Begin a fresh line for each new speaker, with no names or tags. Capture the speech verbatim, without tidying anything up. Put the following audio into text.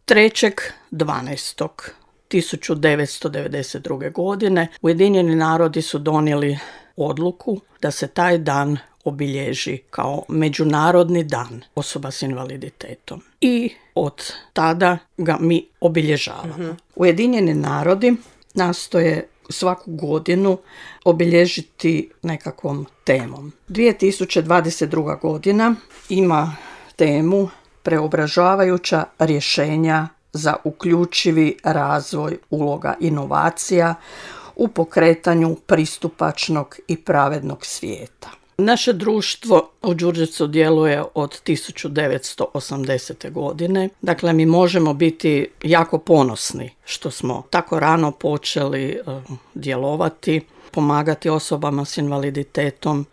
trećeg dvanaestog tisuću devetsto devedeset druge. godine Ujedinjeni narodi su donijeli odluku da se taj dan obilježi kao Međunarodni dan osoba s invaliditetom. I od tada ga mi obilježavamo. Mm-hmm. Ujedinjeni narodi nastoje svaku godinu obilježiti nekakvom temom. dvije tisuće dvadeset druga. godina ima temu Preobražavajuća rješenja za uključivi razvoj uloga inovacija u pokretanju pristupačnog i pravednog svijeta. Naše društvo u Đurđevcu djeluje od tisuću devetsto osamdesete. godine. Dakle, mi možemo biti jako ponosni što smo tako rano počeli uh, djelovati, pomagati osobama s invaliditetom.